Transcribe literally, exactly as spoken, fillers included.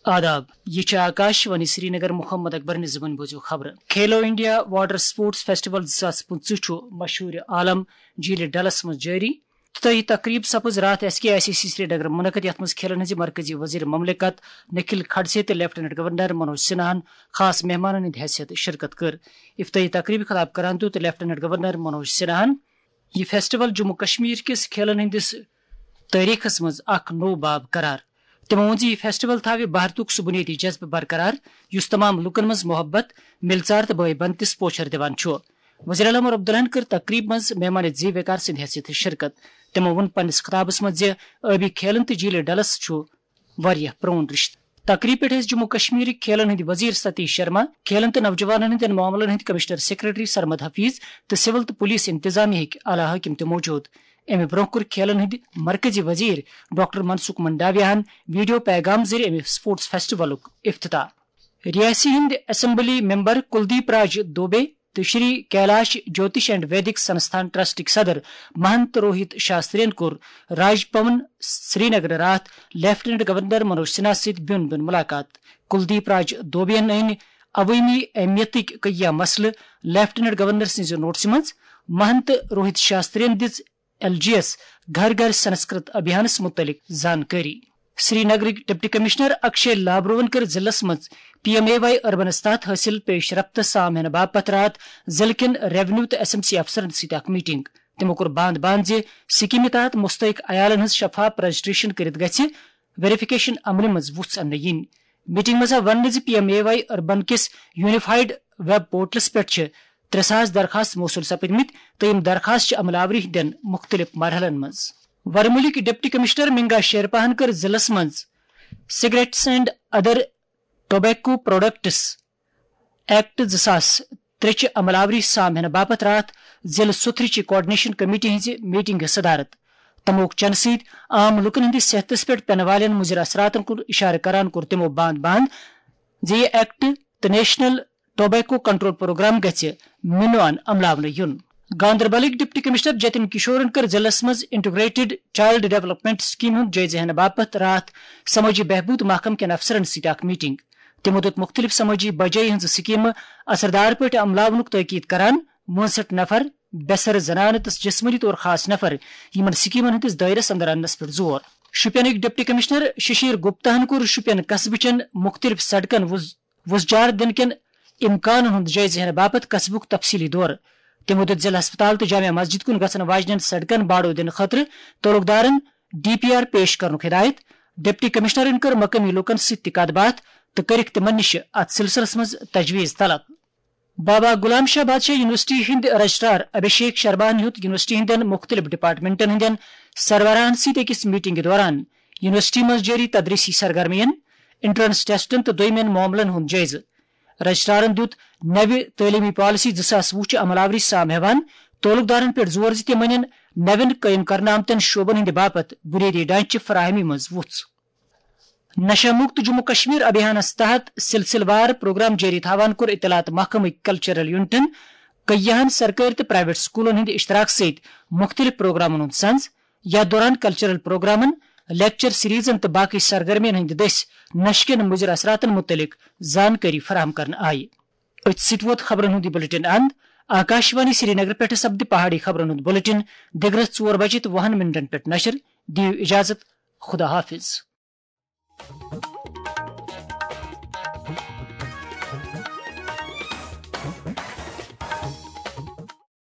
آداب، یہ چھِ آکاش وانی سرینگر۔ محمد اکبر نِزمن بوزِو خبرٕ۔ کھیلو انڈیا واٹر سپورٹس فیسٹیول زٕ ساس پٕنٛژٕہ چھُ مشہوٗر عالم جھیل ڈلس منٛز جٲری۔ افتتاحی تقریب سپٕز راتھ S K I C C Srinagar منعقد، یتھ منٛز کھیلن ہٕنٛزِ مرکزی وزیر مملکت نکھل کھڑسے تہٕ لیفٹیننٹ گورنر منوج سنہاہن خاص مہمانن ہٕنٛدِ حیثیت شرکت کٔر۔ افتتاحی تقریبہِ خطاب کران دیُت لیفٹیننٹ گورنر منوج سنہاہن، یہ فیسٹیول جموں کشمیر کِس کھیلن ہٕنٛدِس تٲریخس منٛز اکھ نوٚو باب قرار۔ تِمو ووٚن زِ یہِ فیسٹیول تھاوِ بھارتُک سُہ بُنیٲدی جذبہٕ برقرار، یُس تمام لوٗکن منٛز محبت، مِلژار تہٕ بٲے بنتِس پوچھر دِوان چھُ۔ وزیر اعلیٰ عمر عبداللہن کٔر تقریب منٛز مہمان زی وقار سٕنٛدِ حیثیت شرکت۔ تِمو ووٚن پننِس خطابس منٛز زِ ٲبی کھیلن تہٕ جھیل ڈلس چھُ واریاہ پرون رشتہٕ۔ تقریب پٮ۪ٹھ ٲسۍ جموں کشمیرٕکۍ کھیلن ہٕنٛدۍ وزیر ستیش شرما، کھیلن تہٕ نوجوانن ہٕنٛدٮ۪ن معاملن ہٕنٛدۍ کمشنر سیکرٹری سرمد حفیظ تہٕ سول تہٕ پولیس انتظامیہ ہٕکۍ اعلیٰ حٲکم تہِ موجود۔ امہِ برونٛہہ کوٚر کھیلن ہٕنٛدۍ مرکزی وزیر ڈاکٹر منسکھ منڈاویاہن ویڈیو پیغام ذٔریعہٕ امہِ سپورٹس فیسٹیولُک افتتاح۔ ریاسی ہٕنٛدۍ اسمبلی ممبر کلدیپ راج دوبے تہٕ شری کیلاش جوتش اینڈ ویدک سنستھان ٹرسٹٕکۍ صدر مہنت روہت شاسترین کوٚر راج بھون سرینگر راتھ لیفٹیننٹ گورنر منوج سنہا سۭتۍ بیوٚن بیوٚن ملاقات۔ کلدیپ راج دوبین أنۍ عوٲمی اہمیتٕکۍ کینٛہہ مسلہٕ لیفٹیننٹ گورنر سٕنٛزِ نوٹسہِ منٛز۔ مہنت روہت شاسترین دِژ ایل جی ایس گھر گھر سنسکرت ابھیانس متعلق زانکٲری۔ سرینگرٕکۍ ڈپٹی کمشنر اکشے لابروہن کٔر ضلعس منٛز پی ایم اے واے اربنس تحت حٲصِل پیش رفتہٕ سام ہینہٕ باپتھ راتھ ضلعہٕ کٮ۪ن ریونیو تہٕ ایس ایم سی افسرن سۭتۍ اکھ میٹنگ۔ تِمو کوٚر باند باند زِ سکیمہِ تحت مستحق عیالن ہٕنٛز شفاف رجسٹریشن کٔرِتھ گژھِ ویریفکیشن عملہِ منٛز وُژھ اننہٕ یِنۍ۔ میٹنگ منٛز آو وننہٕ زِ P M A Y urban کِس یونیفائیڈ ویب پورٹلس پٮ۪ٹھ چھِ ترٛےٚ ساس درخاست موصول سپدمٕتۍ تہٕ یِم درخاست چھِ عملہ آوری ہٕنٛدٮ۪ن مُختٔلِف مرحلن منٛز۔ ورمُلٕکۍ ڈپٹی کمشنر منگا شیرپاہن کٔر ضلعس منٛز cigarettes and other tobacco products act زٕ ساس ترٛےٚ چہِ عمل آوری سام ہینہٕ باپتھ راتھ ضلعہٕ سُتھرٕ چہِ کوآرڈینیشن کمیٹی ہٕنٛزِ میٹنگہِ صدارت۔ تموک چنہٕ سۭتۍ عام لوٗکن ہٕنٛدِس صحتس پٮ۪ٹھ پینہٕ والٮ۪ن مُضِر اثراتن کُن اِشارٕ کران کوٚر تِمو باند باند زِ یہِ ایکٹ تہٕ نیشنل ٹوبیکو کنٹرول پروگرام گژھِ مِنوان عملاونہٕ یُن۔ گاندربلٕکۍ ڈپٹی کمشنر جتن کشورن کٔر ضلعس منٛز انٹیگریٹڈ چائلڈ ڈیولپمنٹ سکیم ہُنٛد جٲیزٕ ہینہٕ باپتھ راتھ سمٲجی بہبود محکمہٕ کٮ۪ن افسرن سۭتۍ اکھ میٹنگ۔ تِمو دیُت مُختٔلِف سمٲجی بجٲیی ہٕنٛزٕ سکیمہٕ اثردار پٲٹھۍ عملاونُک تٲکید کران، وُنسٹھ نفر، بے سر زنانہٕ تہٕ جسمٲنی طور خاص نفر یِمن سکیمن ہٕنٛدِس دٲیرس اندر اننس پٮ۪ٹھ زور۔ شوپینٕکۍ ڈپٹی کمشنر ششیر گپتاہن کوٚر شوپین قصبہٕ چٮ۪ن مُختٔلِف سڑکن وُز-، وُزجار دِنہٕ کٮ۪ن امکانن ہُنٛد جٲیزٕ ہینہٕ باپتھ قصبُک تفصیلی دورٕ۔ تِمو دیُت ضلعہٕ ہسپتال تہٕ جامع مسجد کُن گژھن واجنٮ۪ن سڑکن باڑو دِنہٕ خٲطرٕ تعلقدارن ڈی پی آر پیش کرنُک ہدایت۔ ڈپٹی کمشنرن کٔر مقٲمی لوٗکن سۭتۍ تہِ کتھ باتھ تہٕ کٔرٕکھ تِمن نِش اتھ سلسلس منٛز تجویز طلب۔ بابا غلام شاہ بادشاہ یونیورسٹی ہٕنٛدۍ رجسٹرار ابھیشیک شرماہن ہیوٚت یونیورسٹی ہٕنٛدٮ۪ن مُختٔلِف ڈپارٹمنٹن ہٕنٛدٮ۪ن سربراہن سۭتۍ أکِس میٹنگہِ دوران یونیورسٹی منٛز جٲری تدریسی سرگرمین، انٹرنس ٹیسٹن تہٕ دوٚیمٮ۪ن معاملن ہُنٛد جٲیزٕ۔ رجسٹرارن دیُت نوِ تعلیمی پالیسی زٕ ساس وُہ چہِ عمل آوری سام ہٮ۪وان تعلقدارن پٮ۪ٹھ زور زِ تِم انن نوٮ۪ن قٲیِم کرنہٕ آمتٮ۪ن شعبن ہٕنٛدِ باپتھ بُنیٲدی ڈھانچہٕ فراہمی منٛز وُژھ۔ نشہ مکت جموں کشمیر ابھیانس تحت سلسلہٕ وار پروگرام جٲری تھاوان کوٚر اطلاعات محکمٕکۍ کلچرل یونٹن کیاہن سرکٲرۍ تہٕ پرائیویٹ سکولن ہٕنٛدِ اشتراک سۭتۍ مُختٔلِف پروگرامن ہُنٛد سنز۔ یتھ دوران کلچرل پروگرامن، لیکچر سیریزن تہٕ باقی سرگرمین ہٕنٛدِ دٔسۍ نشہٕ کٮ۪ن مُضر اثراتن مُتعلق زانکٲری فراہم کرنہٕ آیہِ۔ أتھۍ سۭتۍ ووت خبرن ہُنٛد یہِ بلیٹن اند۔ آکاشوانی سرینگر پٮ۪ٹھٕ سپدِ پہاڑی خبرن ہُنٛد بلیٹن دِگرس ژور بجے تہٕ وُہن منٹن پٮ۪ٹھ نشر۔ دِیِو اجازت، خدا حافظ۔